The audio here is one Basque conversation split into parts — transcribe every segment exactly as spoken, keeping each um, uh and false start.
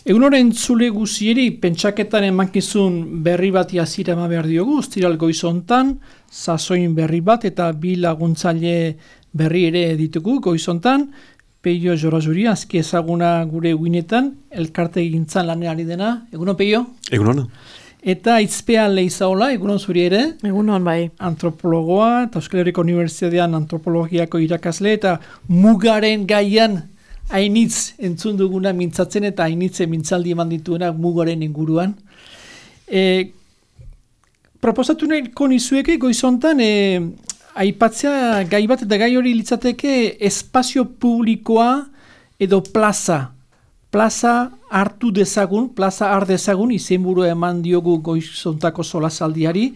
Egun horren zule guzieri, pentsaketan emankizun berri bat jazira ema behar diogu, Ostiral goizontan, sasoin berri bat eta bi laguntzaile berri ere ditugu goizontan, Peio Jorazuri, azki ezaguna gure guinetan, elkarte gintzan laneari dena. Egunon, Peio? Egunon. Eta Itzpea Leizaola, egunon zuri ere? Egunon, bai. Antropologoa, eta Euskal Herriko Unibertsitatean antropologiako irakasle, eta mugaren gaian hainitz entzun duguna mintzatzen eta hainitze mintzaldi eman dituena mugaren inguruan. E, proposatu nahiko nizueke goizontan e, aipatzea gai bat eta gai hori litzateke espazio publikoa edo plaza. Plaza hartu dezagun, plaza har dezagun, izenburu eman diogu goizontako solasaldiari,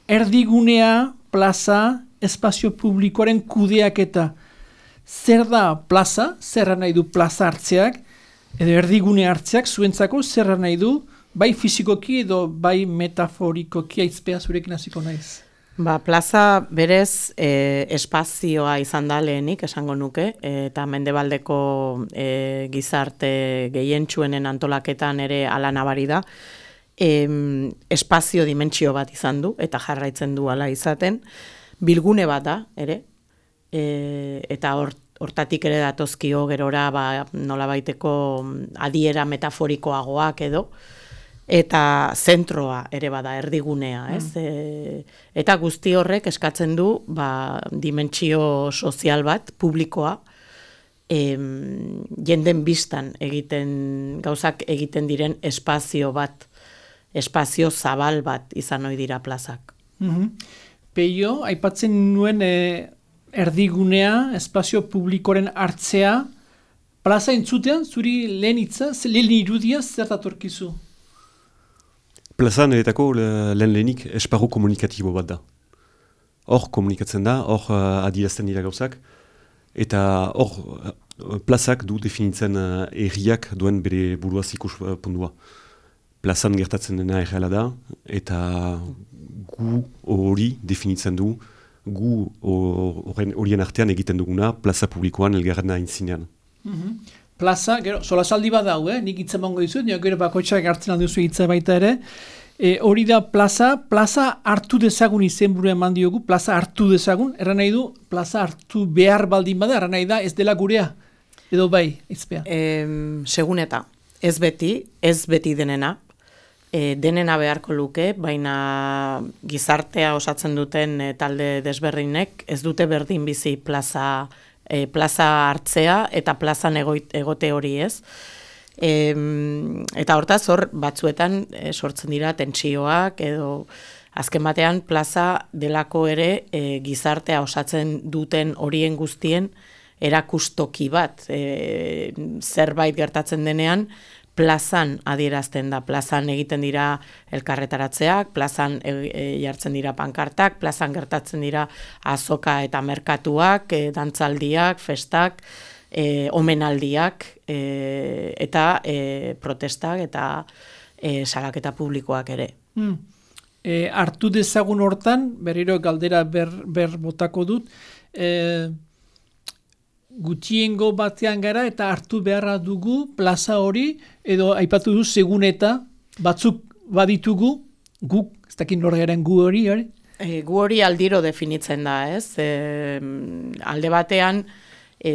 erdigunea, plaza, espazio publikoaren kudeaketa. Zer da plaza, zerra nahi du plaza hartzeak, edo erdigune hartzeak, zuentzako zerra nahi du, bai fizikoki edo bai metaforikoki Aizpea zurekin hasiko naiz. Ba, plaza berez e, espazioa izan da lehenik, esango nuke, eta mendebaldeko e, gizarte gehientsuenen antolaketan ere ala nabari da, e, espazio dimentsio bat izan du, eta jarraitzen du ala izaten, bilgune bat da, ere, E, eta hortatik ere datozkio gerora ba, nola baiteko adiera metaforikoagoak edo, eta zentroa ere bada erdigunea, ez? Mm. E, eta guzti horrek eskatzen du ba, dimentsio sozial bat, publikoa, e, jenden biztan egiten, gauzak egiten diren espazio bat, espazio zabal bat izan ohi dira plazak. Mm-hmm. Peio, aipatzen nuen e, erdigunea, espazio publikoren hartzea, plaza entzutean, zuri lehen hitza, lehen irudia zer datorkizu? Plaza niretako lehen lehenik esparru komunikatibo bat da. Hor komunikatzen da, hor uh, adierazten dira gauzak, eta hor uh, plazak du definitzen uh, erriak duen bere buruaz ikus uh, pundua. Plazan gertatzen dena erreala da, eta gu hori definitzen du, gu horien artean egiten duguna plaza publikoan elgarren aintzinean. Mm-hmm. Plaza, gero, solasaldi bat dau, eh? Nik hitza mongo dizut, nio gero bakoitzak hartzen alduzu hitza baita ere. E, hori da plaza, plaza hartu dezagun izenburu eman diogu, plaza hartu dezagun, erran nahi du, plaza hartu behar baldin bada, erran nahi da, ez dela gurea, edo bai, Aizpea. E, segun eta, ez beti, ez beti denena, E, denena beharko luke, baina gizartea osatzen duten e, talde desberdinek ez dute berdin bizi plaza, e, plaza hartzea eta plazan egoit, egote hori ez. E, eta hortaz hor batzuetan e, sortzen dira tentsioak edo azken batean plaza delako ere e, gizartea osatzen duten horien guztien erakustoki bat. E, zerbait gertatzen denean, plazan adierazten da, plazan egiten dira elkarretaratzeak, plazan e, e, jartzen dira pankartak, plazan gertatzen dira azoka eta merkatuak, e, dantzaldiak, festak, e, omenaldiak, e, eta e, protestak eta e, salaketa publikoak ere. Hmm. E, hartu dezagun hortan, berriro galdera ber, ber botako dut, e, gutiengo batean gara eta hartu beharra dugu plaza hori, edo aipatu du segun eta batzuk baditugu, guk, ez dakit nor garen gu hori, hori? E, gu hori aldiro definitzen da, ez? E, alde batean, e,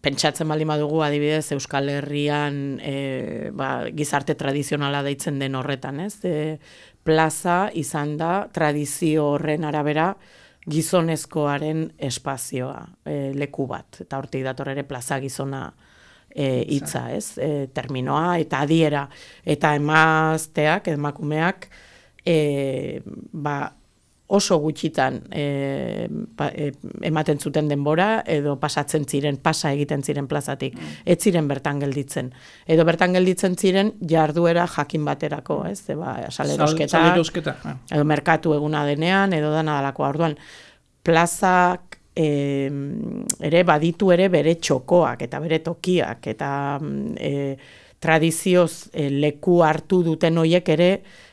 pentsatzen baldin badugu adibidez Euskal Herrian e, ba, gizarte tradizionala deitzen den horretan, ez? E, plaza izan da tradizio horren arabera gizonezkoaren espazioa, e, leku bat, eta hortik dator ere plaza gizona e, hitza, ez? E, terminoa eta adiera, eta emazteak, emakumeak, e, ba, oso gutxitan e, pa, e, ematen zuten denbora, edo pasatzen ziren, pasa egiten ziren plazatik, ez ziren bertan gelditzen. Edo bertan gelditzen ziren jarduera jakin baterako, ez? Eba, salerosketa, salerosketa, edo merkatu eguna denean, edo dana dalako. Orduan, plazak e, ere baditu ere bere txokoak, eta bere tokiak, eta e, tradizioz e, leku hartu duten hoiek ere,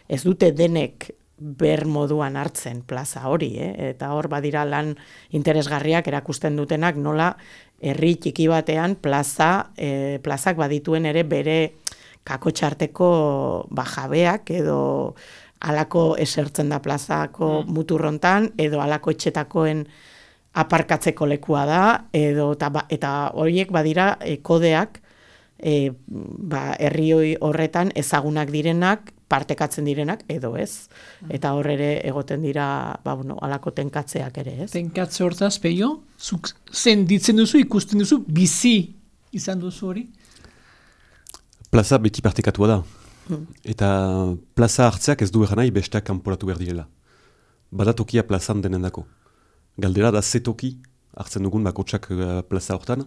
ez dute denek ber moduan hartzen plaza hori, eh? Eta hor badira lan interesgarriak erakusten dutenak nola herri txiki batean plaza, e, plazak badituen ere bere kakotxarteko ba, jabeak edo alako esertzen da plazako mm. muturrontan, edo alako etxetakoen aparkatzeko lekua da, edo, ta, ba, eta horiek badira e, kodeak e, ba, herri horretan ezagunak direnak, partekatzen direnak, edo ez. Eta hor ere egoten dira ba, bueno, alako tenkatzeak ere, ez? Tenkatze hortaz, Peio, zuk zen ditzen duzu, ikusten duzu, bizi izan duzu hori? Plaza beti partekatua da. Hmm. Eta plaza hartzeak ez du egan nahi besteak kanporatu behar direla. Badatokia plazan denendako. Galdera da ze toki hartzen dugun bakotsak uh, plaza hortan,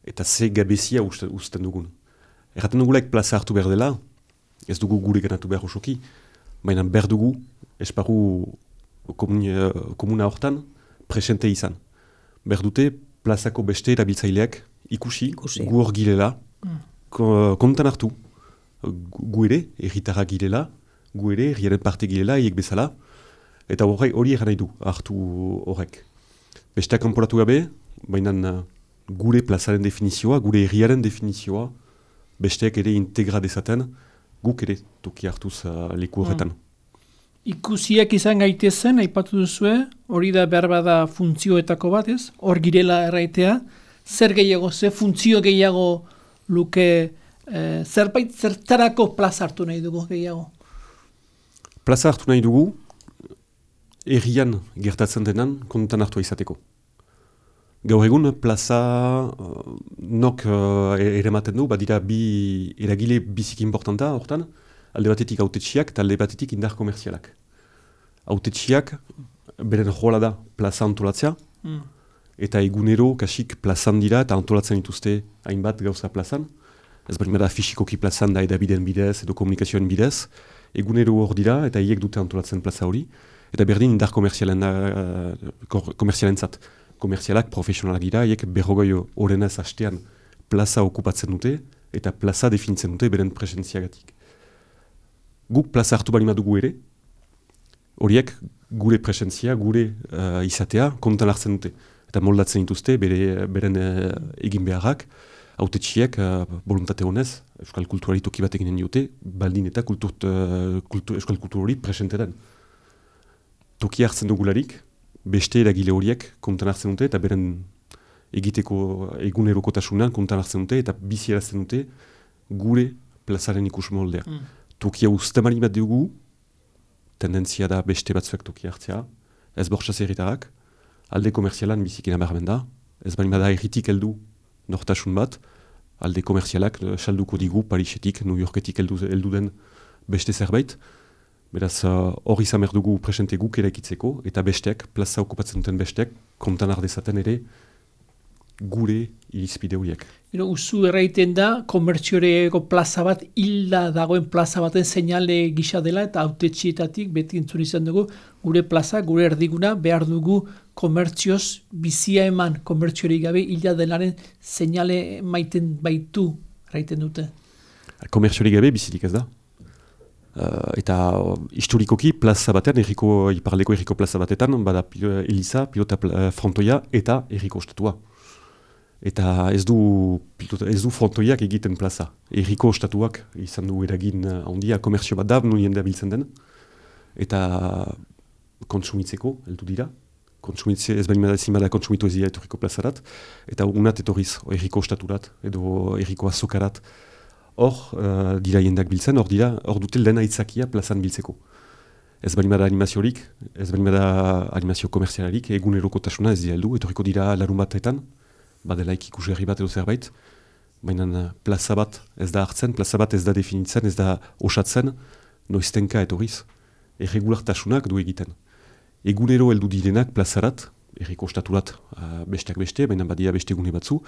eta ze gabezia uzten dugun. Erraten dugulaik plaza hartu behar dela, ez dugu gure ganatu behar osoki, baina behar dugu esparru komuna, komuna hortan presente izan. Behar dute plazako beste erabiltzaileak ikusi, ikusi. Gu hor girela, mm. kontan hartu, gu ere, erritarra girela, gu ere, herriaren parte girela, hiek bezala, eta hori hori egan nahi du hartu horrek. Besteak kanporatu gabe, baina gure plazaren definizioa, gure herriaren definizioa, besteak ere integra dezaten, guk ere toki hartuz uh, leku horretan. Hmm. Ikusiak izan gaitezen, aipatu duzue, hori da behar bada funtzioetako bat, ez? Hor girela erraitea, zer gehiago, ze funtzio gehiago luke, eh, zerbait zertarako plaza hartu nahi dugu gehiago? Plaza hartu nahi dugu, herrian gertatzen denan kontan hartua izateko. Gaur egun plaza uh, nok uh, ere maten du, badira bi eragile biziki importanta hortan, alde batetik autetxiak eta alde batetik indar komerzialak. Autetxiak beren jola da plaza antolatzea, mm. eta egunero kasik plazan dira eta antolatzen dituzte hainbat gauza plazan. Ez bari da fisikoki plazan da edabideen bidez edo komunikazioen bidez, egunero hor dira eta hiek dute antolatzen plaza hori, eta berdin indar komerzialen, uh, komerzialen zat. Komerzialak, profesionalak dira, hiek berrogoi horrenaz hastean plaza okupatzen dute eta plaza definitzen dute beren presentziagatik. Guk plaza hartu bali madugu ere, horiek gure presentzia, gure uh, izatea kontan hartzen dute. Eta moldatzen dituzte bere, beren uh, egin beharrak, autetxiek uh, voluntate honez, euskal kulturari toki bat eginen diote, baldin eta kultur, uh, kultur, euskal kultur hori presente den. Toki hartzen dugularik, beste eragile horiek kontan hartzen dute eta beren egiteko egunerokotasunan kontan hartzen dute eta bizi erazten dute gure plazaren ikus moldea. Mm. Tokia ustemari bat dugu, tendentzia da beste batzuek tokia hartzea, ez bortxaz erritarak, alde komerzialan bizikina barmen da, ez bali bada erritik heldu nortasun bat, alde komerzialak salduko digu Parisetik, New Yorketik heldu, heldu den beste zerbait. Beraz, hor uh, izan behar dugu presente guk eraikitzeko, eta besteak, plaza okupatzen duten besteak, kontan ardezaten ere gure irizpide horiek. Usu erraiten da, komertzioreko plaza bat, hilda dagoen plaza baten seinale gisa dela, eta autetxietatik beti entzun izan dugu, gure plaza, gure erdiguna, behar dugu komertzioz bizia eman, komertziorik gabe hilda denaren seinale maiten baitu, erraiten dute. Komertziorik gabe bizirik ez da. Uh, eta uh, historikoki plaza batean, erriko, iparleko erriko plaza batetan, bada pil, Eliza, pilota uh, frontoia eta erriko ostatua. Eta ez du, pilota, ez du frontoiak egiten plaza. Erriko ostatuak izan du eragin uh, handia, komerzio bat da, nuen da biltzen den. Eta kontsumitzeko, heldu dira. Kontsumitze, ez behin ezin bada kontsumitu ez dira etorriko plazarat. Eta unat etorriz, erriko ostaturat, edo erriko azokarat. Hor uh, dira jendak biltzen, hor dira, hor dute lehen aitzakia plazan biltzeko. Ez bali bada animaziorik, ez bali bada animazio komerzialarik, egunerokotasuna ez dira heldu, etorriko dira larun batetan, badelaik ikusgarri bat edo zerbait, baina plaza bat ez da hartzen, plaza bat ez da definitzen, ez da osatzen, noiztenka etorriz, erregulartasunak du egiten. Egunero heldu direnak plazarat, erriko ostaturat uh, besteak beste, baina badia beste egune batzu,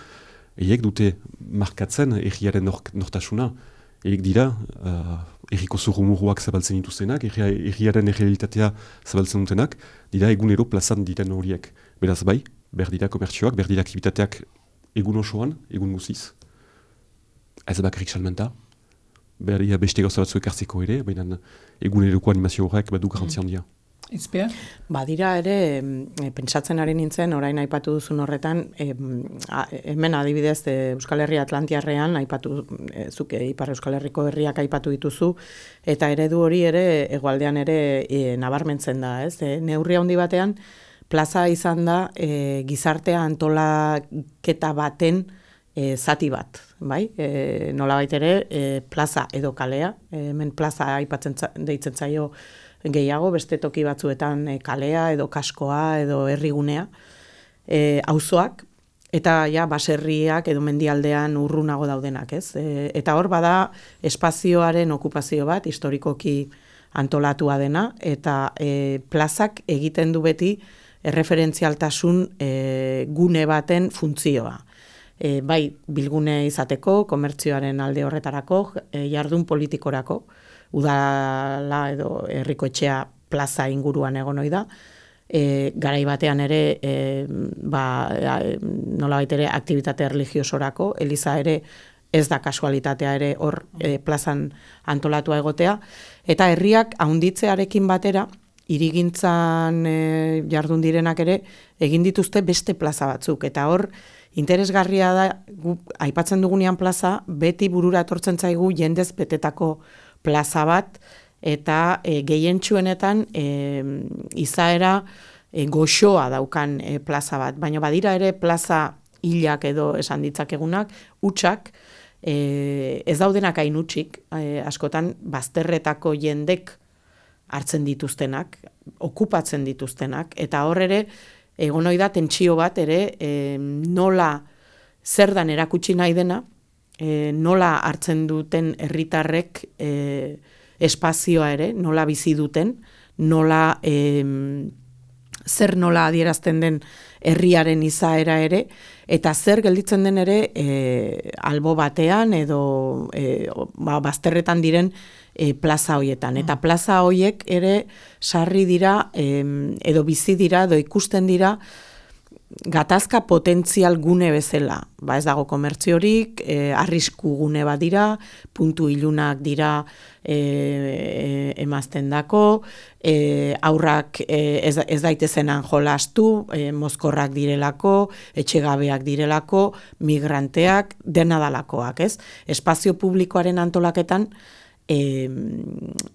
eiek dute markatzen erriaren nor, nortasuna. Eiek dira, uh, erriko zurrumuruak zabaltzen dituztenak, erriaren errealitatea zabaltzen dutenak, dira egunero plazan diren horiek. Beraz bai, behar dira komertzioak, behar dira aktivitateak egun osoan, egun guziz. Ez bakarrik salmenta, behar dira beste gauza batzuek hartzeko ere, baina eguneroko animazio horrek badu garantzia handia. Izpea? Badira ere, e, pentsatzen ari nintzen, orain aipatu duzun horretan, e, a, hemen adibidez e, Euskal Herria Atlantiarrean, aipatu, e, zuke Ipar Euskal Herriko herriak aipatu dituzu, eta eredu hori ere, hegoaldean ere e, nabarmentzen da, ez? E, neurri handi batean, plaza izan da e, gizartea antolaketa baten e, zati bat, bai? E, nolabait ere, e, plaza edo kalea, e, hemen plaza aipatzen deitzen zaio gehiago, beste toki batzuetan e, kalea edo kaskoa edo herrigunea, e, auzoak, eta ja, baserriak edo mendialdean urrunago daudenak, ez? E, eta hor bada espazioaren okupazio bat, historikoki antolatua dena, eta e, plazak egiten du beti erreferentzialtasun e, gune baten funtzioa. E, bai, bilgune izateko, komertzioaren alde horretarako, e, jardun politikorako, udala edo herriko etxea plaza inguruan egon ohi da. E, garai batean ere, e, ba, e, nolabait ere aktibitate religiosorako, eliza ere ez da kasualitatea ere hor e, plazan antolatua egotea, eta herriak haunditzearekin batera, hirigintzan e, jardun direnak ere, egin dituzte beste plaza batzuk, eta hor, interesgarria da, gu, aipatzen dugunean plaza, beti burura etortzen zaigu jendez betetako plaza bat, eta e, gehientsuenetan e, izaera e, goxoa daukan e, plaza bat. Baina badira ere plaza hilak edo esan ditzakegunak, hutsak, e, ez daudenak hain hutsik, e, askotan bazterretako jendek hartzen dituztenak, okupatzen dituztenak, eta hor ere, egon ohi da tentsio bat ere, e, nola zer dan erakutsi nahi dena, E, nola hartzen duten herritarrek e, espazioa ere, nola bizi duten, nola e, zer nola adierazten den herriaren izaera ere, eta zer gelditzen den ere e, albo batean edo e, ba, bazterretan diren e, plaza hoietan. Eta plaza hoiek ere sarri dira e, edo bizi dira edo ikusten dira gatazka potentzial gune bezala. Ba, ez dago komertziorik, e, arrisku gune bat dira, puntu ilunak dira e, e, emazten dako, e, aurrak e, ez, ez daitezenan jolastu, e, mozkorrak direlako, etxegabeak direlako, migranteak, dena dalakoak, ez? Espazio publikoaren antolaketan, e,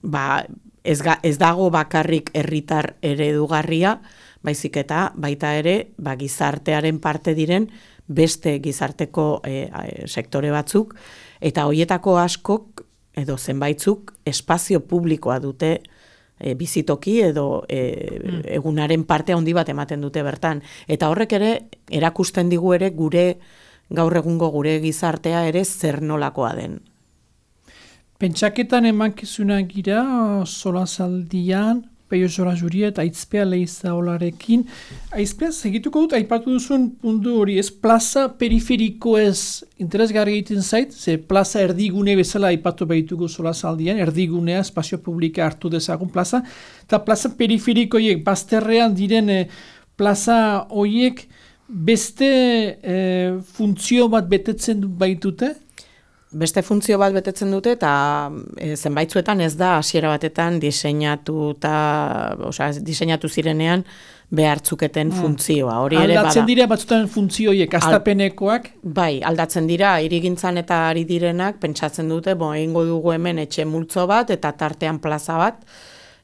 ba, ez, ga, ez dago bakarrik herritar eredugarria, baizik eta baita ere ba, gizartearen parte diren beste gizarteko e, e, sektore batzuk, eta hoietako askok edo zenbaitzuk espazio publikoa dute e, bizitoki edo e, mm. egunaren parte handi bat ematen dute bertan. Eta horrek ere erakusten digu ere gure gaur egungo gure gizartea ere zer nolakoa den. Pentsaketan emankizunak gira, solazaldian, Peio Zora Juri eta Aizpea Leiza Olarekin. Aizpea, segituko dut, aipatu duzun puntu hori, ez plaza periferiko ez interesgarri egiten zait, ze plaza erdigune bezala aipatu behituko solazaldian, erdigunea, espazio publika hartu dezagun plaza, eta plaza periferikoiek, bazterrean diren eh, plaza horiek beste eh, funtzio bat betetzen baitute? Beste funtzio bat betetzen dute eta e, zenbaitzuetan ez da hasiera batetan diseinatu eta, osea, diseinatu zirenean behartzuketen hmm. funtzioa. Hori ere aldatzen bada. dira batzutan funtzioiek, astapenekoak? Bai, aldatzen dira, hirigintzan eta ari direnak pentsatzen dute, bo, egingo dugu hemen etxe multzo bat eta tartean plaza bat,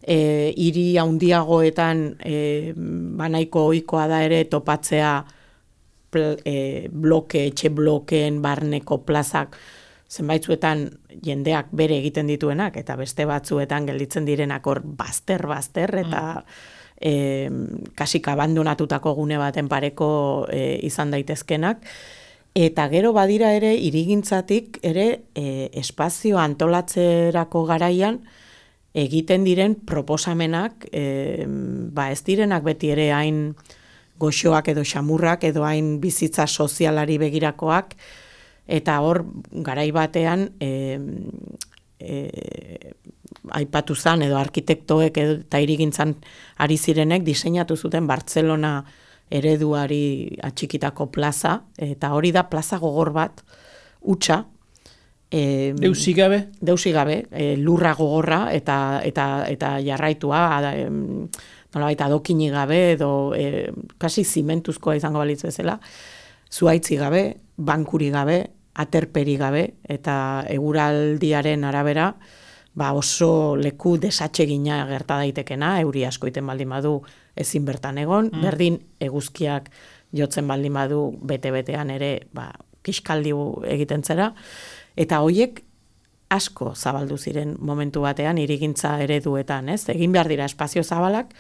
e, hiri handiagoetan e, banaiko ohikoa da ere topatzea pl, e, bloke, etxe blokeen barneko plazak, zenbaitzuetan jendeak bere egiten dituenak, eta beste batzuetan gelditzen direnak hor bazter-bazter, eta mm. e, kasik abandonatutako gune baten pareko e, izan daitezkenak. Eta gero badira ere, hirigintzatik ere e, espazio antolatzerako garaian egiten diren proposamenak, e, ba ez direnak beti ere hain goxoak edo xamurrak edo hain bizitza sozialari begirakoak, eta hor, garai batean, e, e, aipatu zan, edo arkitektoek edo, eta hirigintzan ari zirenek diseinatu zuten Bartzelona ereduari atxikitako plaza, eta hori da plaza gogor bat, hutsa, e, Deusigabe? Deusigabe, e, lurra gogorra eta, eta, eta jarraitua, da, nolabait adokini gabe edo e, kasi zimentuzkoa izango balitz bezala, zuaitzi gabe, bankuri gabe, aterperi gabe, eta eguraldiaren arabera, ba oso leku desatsegina gerta daitekena, euri asko iten baldin badu ezin bertan egon, mm. berdin eguzkiak jotzen baldin badu bete-betean ere, ba, kiskaldi egiten zera, eta hoiek asko zabaldu ziren momentu batean hirigintza ereduetan, ez? Egin behar dira espazio zabalak,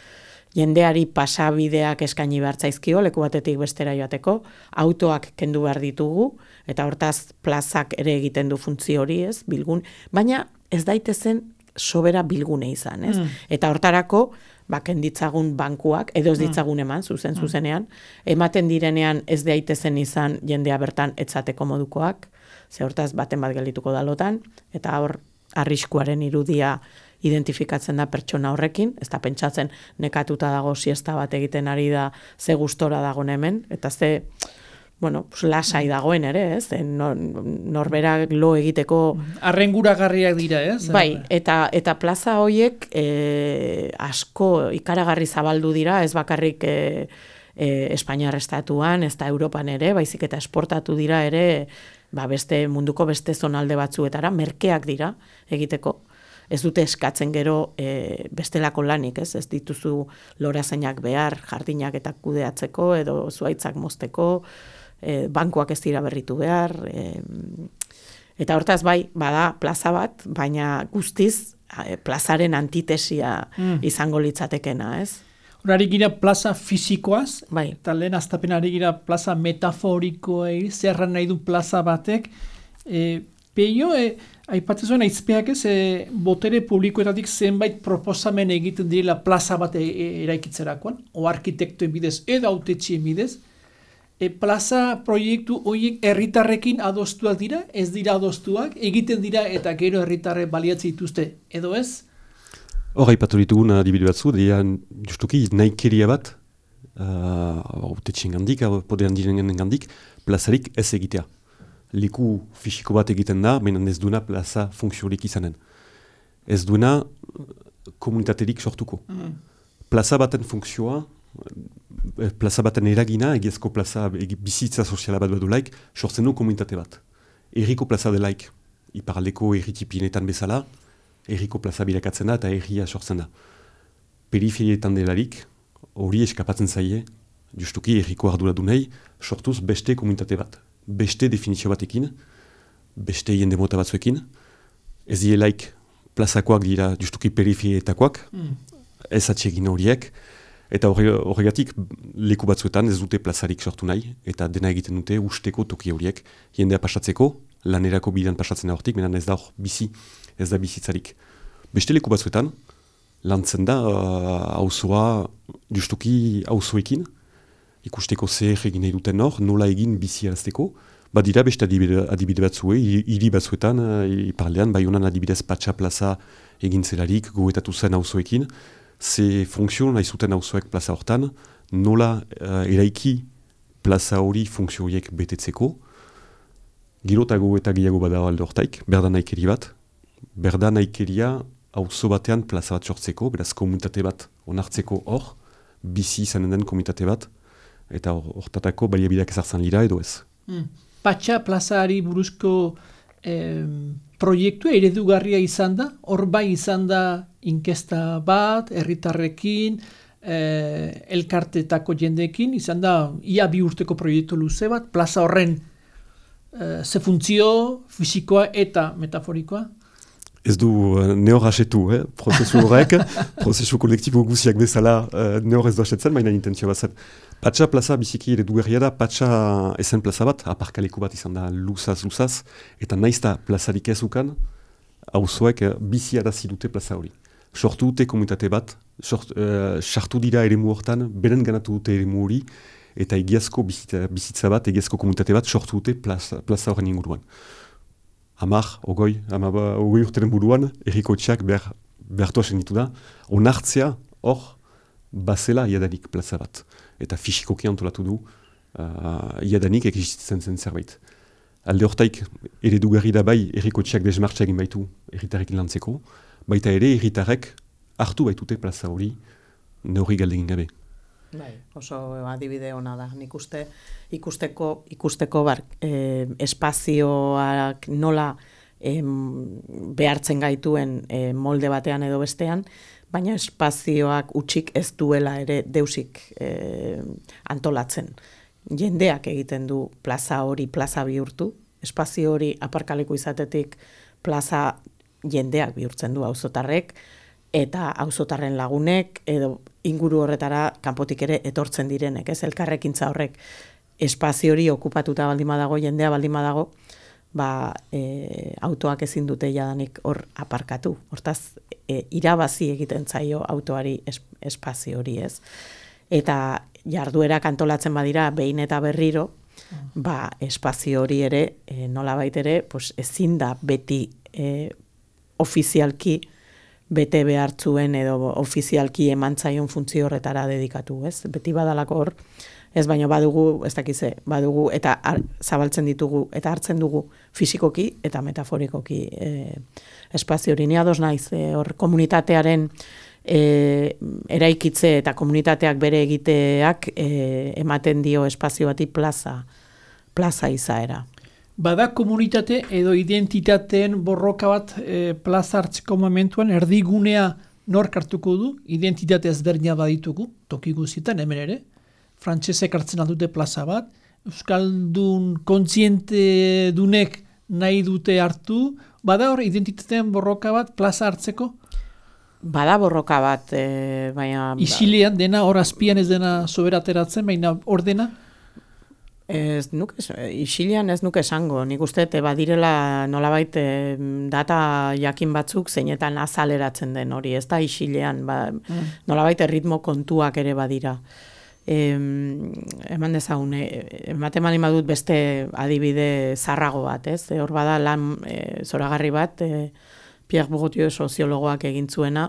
jendeari pasabideak eskaini behar zaizkio, leku batetik bestera joateko, autoak kendu behar ditugu, eta hortaz plazak ere egiten du funtzio hori, ez? Bilgun, baina ez daitezen sobera bilgune izan, ez? Mm. Eta hortarako, ba, kenditzagun bankuak, edo ez ditzagun eman, zuzen, zuzenean, ematen direnean ez daitezen izan jendea bertan etzateko modukoak, ze hortaz baten bat geldituko dalotan, eta hor arriskuaren irudia identifikatzen da pertsona horrekin, ez da pentsatzen nekatuta dago siesta bat egiten ari da ze gustora dagoen hemen, eta ze, bueno, pues, lasai dagoen ere, ez? Nor, norberak lo egiteko... Arrenguragarriak dira, ez? Bai, eta, eta plaza hoiek e, asko ikaragarri zabaldu dira, ez bakarrik e, e, Espainiar estatuan, ez da Europan ere, baizik eta esportatu dira ere, ba beste munduko beste zonalde batzuetara, merkeak dira egiteko. Ez dute eskatzen gero e, bestelako lanik, ez? Ez dituzu lorazainak behar, jardinak eta kudeatzeko, edo zuaitzak mozteko, e, bankuak ez dira berritu behar, e, eta hortaz bai, bada plaza bat, baina guztiz e, plazaren antitesia mm. izango litzatekena, ez? Horari gira plaza fizikoaz, bai. Eta lehen aztapenari gira plaza metaforikoei, zerran nahi du plaza batek. E, Peio, e, aipatzen zuen aizpeak ez, e, botere publikoetatik zenbait proposamen egiten direla plaza bat e, e, eraikitzerakoan, o arkitektuen bidez, edo autetxien bidez. E, plaza proiektu horiek herritarrekin adostuak dira, ez dira adostuak, egiten dira eta gero herritarre baliatzen dituzte, edo ez? Hor, haipatu ditugun adibide batzu, dian justuki nahikeria bat, autetxien gandik, podean diren gandik, plazarik ez egitea. Leku fisiko bat egiten da, menan ez duena plaza funtziorik izanen. Ez duena komunitaterik sortuko. Mm. Plaza baten funtzioa, plaza baten eragina, egiazko plaza, egi, bizitza soziala bat badulaik, sortzen du komunitate bat. Erriko plaza delaik, iparaldeko erritipienetan bezala, erriko plaza bilakatzen da eta erria sortzen da. Periferietan delarik, hori eskapatzen zaie, justuki erriko arduradunei, sortuz beste komunitate bat. Beste definizio batekin, beste jende mota batzuekin, ez dielaik plazakoak dira justuki periferietakoak, mm. ez atsegin horiek, eta horregatik leku batzuetan ez dute plazarik sortu nahi, eta dena egiten dute usteko toki horiek, jendea pasatzeko, lanerako bidean pasatzen da hortik, menan ez da hor bizi, ez da bizitzarik. Beste leku batzuetan, lantzen da auzoa uh, justuki auzoekin, ikusteko zer egin nahi duten hor, nola egin bizi arazteko, badira beste adibide, adibide batzue, hiri batzuetan, iparlean, Baionan adibidez Patxa plaza egin zelarik, goetatu zen auzoekin, ze funtzio nahi zuten auzoek plaza hortan, nola uh, eraiki plaza hori funtzio horiek betetzeko, girotago eta gehiago bada alde hortaik, berda nahikeri bat, berda nahikeria auzo batean plaza bat sortzeko, beraz komunitate bat onartzeko hor, bizi izanen den komunitate bat, eta hortatako baliabideak ezartzen dira edo ez. Mm. Patxa plazari buruzko eh, proiektua eredugarria izan da, hor bai izan da inkesta bat, herritarrekin, eh, elkartetako jendeekin, izan da ia bi urteko proiektu luze bat, plaza horren eh, ze funtzio, fisikoa eta metaforikoa. Ez du uh, nehor hasetu, eh? Prozesu horrek, prozesu kolektibo guziak bezala uh, nehor ez du hasetzen, baina intentzio bat zen. Patxa plaza biziki eredugarria da, Patxa ezen plaza bat, aparkaleko bat izan da luzaz-luzaz, eta naizta plazarik ez ukan, auzoek uh, bizi arazi dute plaza hori. Sortu dute komunitate bat, sartu uh, dira eremu hortan, beren ganatu dute eremu hori, eta egiazko bizitza, bizitza bat, egiazko komunitate bat sortu dute plaza, plaza horren inguruan. Hamar, ogoi, hamaba, ogoi urteren buruan, erriko etxeak behar, behartua senditu da, onartzea hor bazela iadanik plaza bat. Eta fisikoki antolatu du uh, iadanik existitzen zen zerbait. Alde hortaik eredugarri da bai erriko etxeak desmartxa egin baitu erritarrekin lantzeko, baita ere erritarrek hartu baitute plaza hori neurri galdegin gabe. Bai, oso adibide ona da. Nik uste ikusteko ikusteko bar, eh, espazioak nola eh, behartzen gaituen eh, molde batean edo bestean, baina espazioak utxik ez duela ere deusik eh, antolatzen. Jendeak egiten du plaza hori plaza bihurtu, espazio hori aparkaleku izatetik plaza jendeak bihurtzen du auzotarrek, eta auzotarren lagunek, edo inguru horretara kanpotik ere etortzen direnek, ez elkarrekintza horrek espazio hori okupatuta baldin badago, jendea baldin badago, ba, e, autoak ezin dute jadanik hor aparkatu. Hortaz, e, irabazi egiten zaio autoari es, espazio hori, ez. Eta jarduerak antolatzen badira behin eta berriro, ba, espazio hori ere, e, nolabait ere, pues, ezin da beti e, ofizialki bete behartzuen edo ofizialki emantzaion funtzio horretara dedikatu, ez? Beti badalako hor, ez baino badugu, ez dakize, badugu eta ar, zabaltzen ditugu eta hartzen dugu fisikoki eta metaforikoki e, espazio hori. Ni ados naiz, e, hor komunitatearen e, eraikitze eta komunitateak bere egiteak e, ematen dio espazio bati plaza, plaza izaera. Bada komunitate edo identitateen borroka bat e, plaza hartzeko momentuan erdigunea nork hartuko du, identitate ezberdina baditugu, toki guztietan hemen ere, frantsesek hartzen aldute plaza bat, euskaldun kontziente dunek nahi dute hartu, bada hor identitateen borroka bat plaza hartzeko? Bada borroka bat, e, baina... Isilean dena, hor azpian ez dena sobera ateratzen, baina hor dena? Ez nuke, isilean ez nuke esango, nik uste badirela nolabait e, data jakin batzuk zeinetan azaleratzen den hori, ez da isilean, ba, mm. nolabait erritmo kontuak ere badira. E, eman dezagun, e, ematen mani badut beste adibide zarrago bat, ez? E, hor bada lan e, zoragarri bat, e, Pierre Bourdieu soziologoak egin zuena,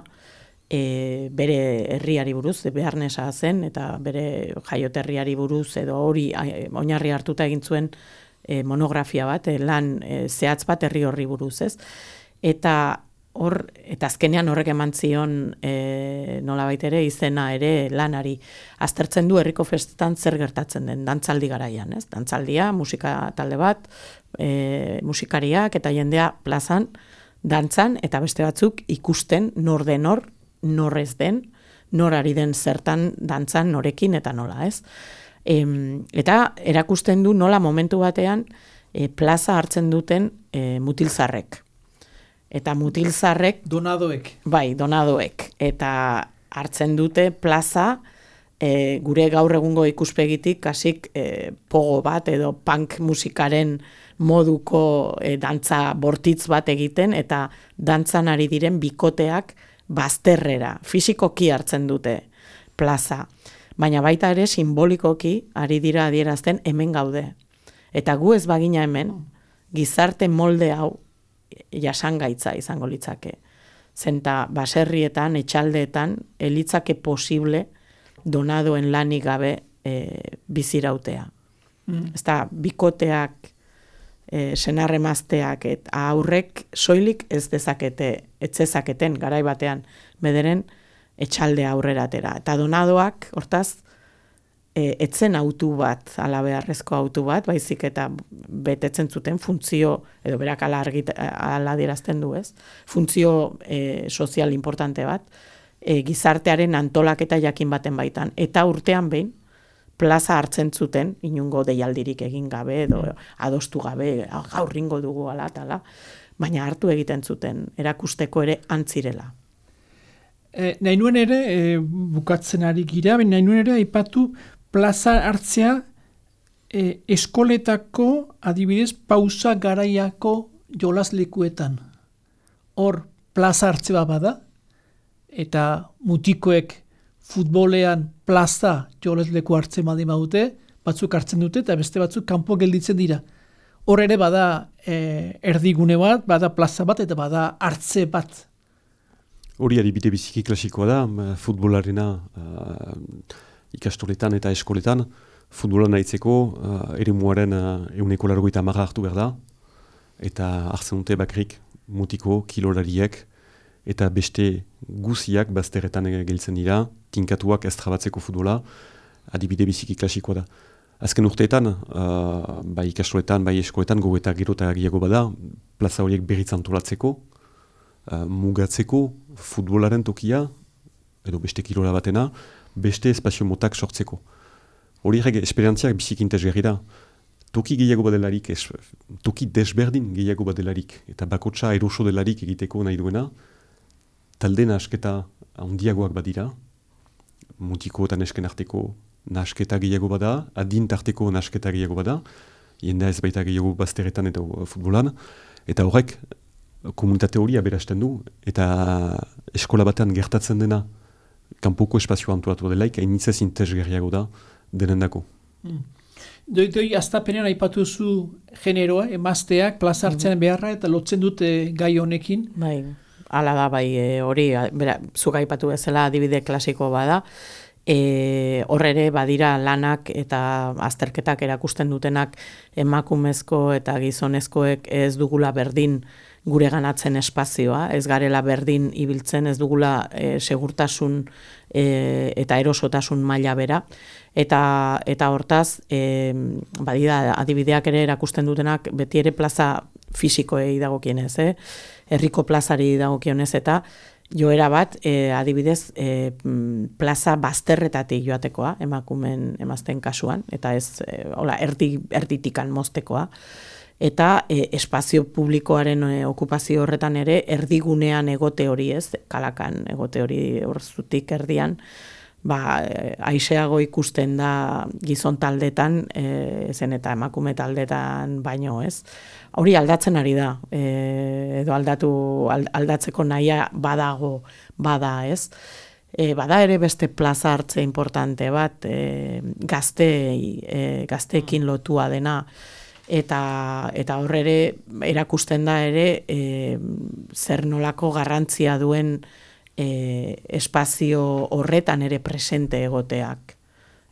E, bere herriari buruz, Bearnesa zen, eta bere jaioterriari buruz, edo hori oinarri hartuta egin zuen e, monografia bat, e, lan e, zehatz bat herri horri buruz, ez? Eta hor, eta azkenean horrek eman zion e, nolabait ere izena ere lanari. Aztertzen du herriko festetan zer gertatzen den, dantzaldi garaian, ez? Dantzaldia, musika talde bat, e, musikariak eta jendea plazan, dantzan, eta beste batzuk ikusten nor den hor, nor ez den, nor ari den zertan dantzan norekin eta nola, ez? E, eta erakusten du nola momentu batean e, plaza hartzen duten e, mutilzarrek. Eta mutilzarrek... Donadoek. Bai, donadoek. Eta hartzen dute plaza e, gure gaur egungo ikuspegitik kasik e, pogo bat edo punk musikaren moduko e, dantza bortitz bat egiten eta dantzan ari diren bikoteak bazterrera, fisikoki hartzen dute plaza, baina baita ere simbolikoki ari dira adierazten hemen gaude. Eta gu ez bagina hemen, gizarte molde hau jasangaitza izango litzake. Zenta baserrietan, etxaldeetan, elitzake posible donadoen lanik gabe e, bizirautea. Mm. Ez da, bikoteak, E, senarremazteak eta aurrek soilik ez dezakete, etzezaketen garai batean bederen etxalde aurrera atera. Eta donadoak, hortaz, e, etzen autu bat, ala beharrezko autu bat, baizik eta betetzen zuten funtzio, edo berak ala, argit, ala dirazten du, ez? Funtzio e, sozial importante bat, e, gizartearen antolaketa jakin baten baitan. Eta urtean behin, plaza hartzen zuten, inungo deialdirik egin gabe, edo adostu gabe, gaur ringo dugu ala, tala, baina hartu egiten zuten, erakusteko ere antzirela. E, nahi nuen ere, e, bukatzen ari gira, nahi nuen ere, aipatu plaza hartzea e, eskoletako, adibidez, pausa garaiako jolaslekuetan. Hor, plaza hartzea bada, eta mutikoek futbolean plaza jolesleku hartzen baldin badute, batzuk hartzen dute eta beste batzuk kanpo gelditzen dira. Hor ere bada e, erdigune bat, bada plaza bat eta bada hartze bat. Hori adibide biziki klasikoa da, futbolarena uh, ikastoletan eta eskoletan, futbolan nahitzeko uh, eremuaren uh, euneko largoita marra hartu behar da, eta hartzen dute bakrik mutiko, kilolariek, eta beste guziak bazterretan gelditzen dira, tinkatuak ez trabatzeko futbola, adibide biziki klasikoa da. Azken urteetan, uh, bai ikastoletan, bai eskoletan, gogo eta gero eta gehiago bada, plaza horiek berriz antolatzeko, uh, mugatzeko futbolaren tokia, edo beste kirola batena, beste espazio motak sortzeko. Horiek esperientziak biziki interesgarri da. Toki gehiago badelarik, es, toki desberdin gehiago badelarik, eta bakotsa eroso delarik egiteko nahi duena, talde nahasketa handiagoak badira, mutiko eta nesken arteko nahasketa gehiago bada, adin tarteko nahasketa gehiago bada, jendea ez baita gehiago bazteretan eta futbolan, eta horrek komunitate hori aberasten du, eta eskola batean gertatzen dena, kanpoko espazio antolatu delaik, hainitzez interesgarriago da denendako. Mm. Doi, doi, aztapenean aipatu zu generoa, emazteak, plaza hartzen beharra, eta lotzen dute gai honekin. Bai, hala da, bai, e, hori, bera, zuk aipatu bezala adibide klasiko bada, e, horre badira lanak eta azterketak erakusten dutenak emakumezko eta gizonezkoek ez dugula berdin gure ganatzen espazioa, ez garela berdin ibiltzen, ez dugula e, segurtasun e, eta erosotasun maila bera, eta eta hortaz, e, badira adibideak ere erakusten dutenak beti ere plaza fisikoei dagokienez, eh? Herriko plazari dagokionez eta joera bat, e, adibidez, e, plaza bazterretatik joatekoa, emakumen emazten kasuan, eta ez, e, hola, erdi, erditikan moztekoa, eta e, espazio publikoaren e, okupazio horretan ere erdigunean egote hori ez, kalakan egote hori horzutik erdian, ba, e, aiseago ikusten da gizon taldetan, e, zen eta emakume taldetan baino ez. Hori aldatzen ari da, e, edo aldatu, aldatzeko nahia badago, bada ez. E, bada ere beste plaza hartze importante bat, e, gazte, e, gazteekin lotua dena, eta eta hor ere erakusten da ere e, zer nolako garrantzia duen e, espazio horretan ere presente egoteak.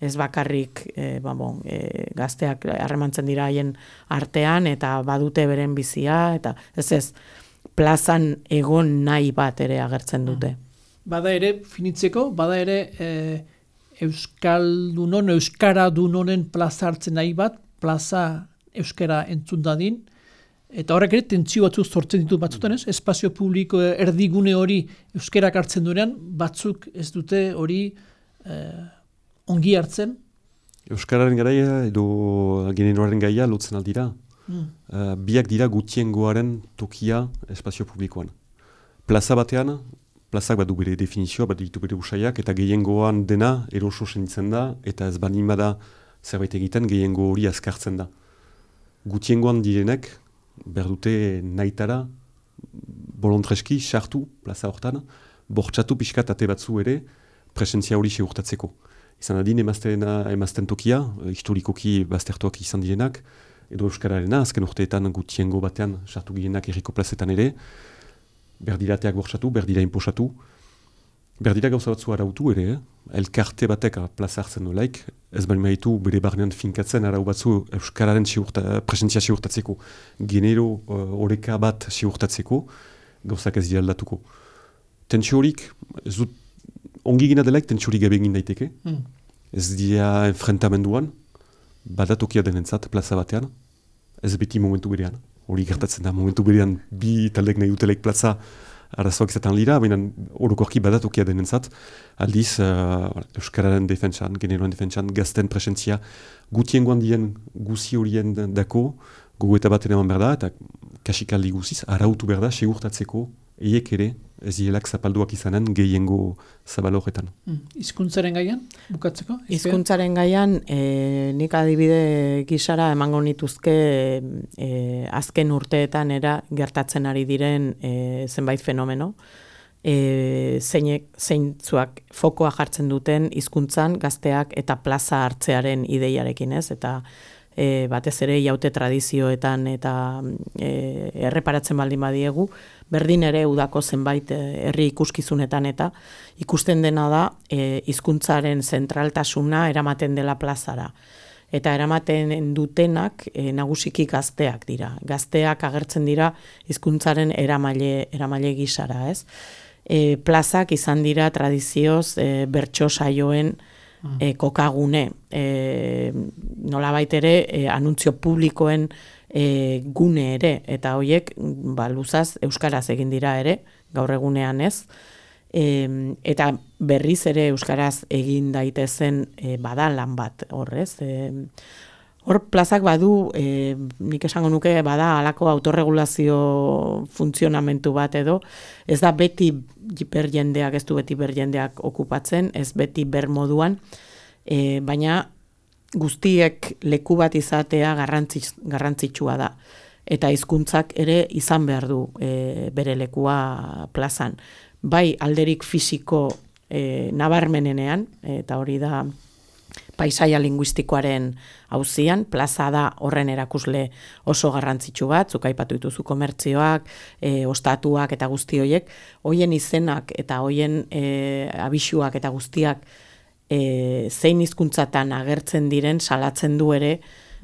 Ez bakarrik e, ba, bon, e, gazteak harremantzen dira haien artean eta badute beren bizia, eta ez ez, plazan egon nahi bat ere agertzen dute. Bada ere, finitzeko, bada ere e, Euskaldunon, Euskaradunonen plaza hartzen nahi bat, plaza euskara entzun dadin, eta horrek ere tentsio batzuk sortzen ditu batzutan ez, espazio publiko erdigune hori euskarak hartzen duenean, batzuk ez dute hori e, ongi hartzen. Euskararen garaia edo generoaren gaia lotzen aldira. Mm. Uh, biak dira gutiengoaren tokia espazio publikoan. Plaza batean, plazak bat du bere definizioa, bat ditu bere usaiak, eta gehiengoan dena eroso senditzen da, eta ez banin bada zerbait egiten gehiengo hori azkartzen da. Gutiengoan direnek, berdute nahitara, bolontreski, sartu, plaza hortan, bortxatu pixkat ate batzu ere, presentzia hori segurtatzeko. Izan adin emazten tokia, historikoki baztertuak izan direnak, edo euskararena, azken urteetan gutiengo batean sartu girenak erriko plazetan ere, berdirateak bortxatu, berdira inposatu, berdira gauza batzu arautu ere, eh? Elkarte batek plaza hartzen nolaik, ez bali maitu bere barnean finkatzen arau batzu euskararen siurta, presentzia siurtatzeko, genero horeka uh, bat siurtatzeko, gauzak ez dira aldatuko. Tentsio horik, ez dut, ongi gina delaik tentsio horik gabe egin daiteke, mm. ez dira enfrentamenduan, badatokia denentzat plaza batean, ez beti momentu berean, hori gertatzen da, momentu berean bi taldek nahi dutelaik plaza arazoak izaten lira, baina orokorki badatokia denentzat, aldiz uh, euskararen defentsan, generoan defentsan, gazten presentzia gutiengoan dien guzi horien dako, gogo eta baten eman behar da, eta kasikaldi guziz, arautu behar da, segurtatzeko, eiek ere, ez dielak zapalduak izanen gehiengo zabal horretan. Hmm. Hizkuntzaren gaian, bukatzeko? Hizkuntzaren gaian, e, nik adibide gisara emango nituzke e, azken urteetan era gertatzen ari diren e, zenbait fenomeno, e, zeinek, zeintzuak fokoa jartzen duten hizkuntzan gazteak eta plaza hartzearen ideiarekin ez, eta E, batez ere jaute tradizioetan eta e, erreparatzen baldin badiegu, berdin ere udako zenbait herri ikuskizunetan eta ikusten dena da e, hizkuntzaren zentraltasuna eramaten dela plazara. Eta eramaten dutenak e, nagusiki gazteak dira. Gazteak agertzen dira hizkuntzaren eramaile, eramaile gisara, ez? e, plazak izan dira tradizioz e, bertso saioen e, kokagune. E, nolabait ere, e, anuntzio publikoen e, gune ere, eta horiek ba, luzaz euskaraz egin dira ere, gaur egunean ez. E, eta berriz ere euskaraz egin daitezen e, bada lan bat horrez. E, hor plazak badu, e, nik esango nuke bada halako autorregulazio funtzionamentu bat edo, ez da beti ber jendeak, ez du beti ber jendeak okupatzen, ez beti ber moduan, e, baina guztiek leku bat izatea garrantzits, garrantzitsua da. Eta hizkuntzak ere izan behar du e, bere lekua plazan. Bai alderik fisiko e, nabarmenenean, eta hori da paisaia linguistikoaren auzian, plaza da horren erakusle oso garrantzitsu bat, zuk aipatu dituzu komertzioak, e, ostatuak eta guzti horiek, hoien izenak eta hoien e, abisuak eta guztiak e, zein hizkuntzatan agertzen diren salatzen du ere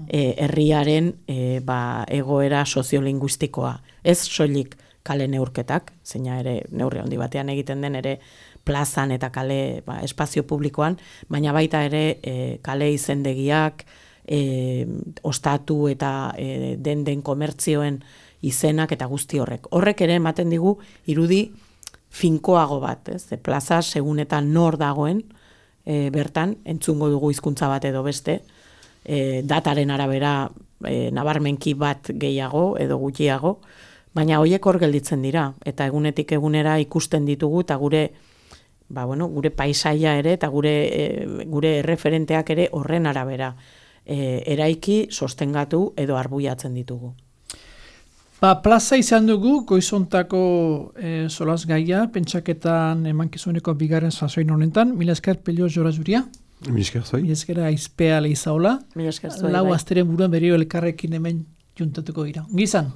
e, herriaren e, ba, egoera soziolinguistikoa. Ez soilik kale neurketak, zeina ere neurri handi batean egiten den ere plazan eta kale ba, espazio publikoan, baina baita ere e, kale izendegiak, e, ostatu eta e, den den komertzioen izenak eta guzti horrek. Horrek ere ematen digu irudi finkoago bat, ez? E, plaza segun eta nor dagoen e, bertan, entzungo dugu hizkuntza bat edo beste, e, dataren arabera e, nabarmenki bat gehiago edo gutxiago, baina horiek hor gelditzen dira, eta egunetik egunera ikusten ditugu, eta gure ba, bueno, gure paisaia ere eta gure, e, gure erreferenteak ere horren arabera e, eraiki, sostengatu edo arbuiatzen ditugu. Ba, plaza izan dugu, goizontako e, solaz gaia, pentsaketan emankizuneko bigarren sasoin honetan, mila esker Pello Jora Zuria. Mila esker zuai. Mila esker aizpea lehizaola. Mila esker zuai. Lau bai. asteren buruan berrio elkarrekin hemen juntatuko gira. Gizan.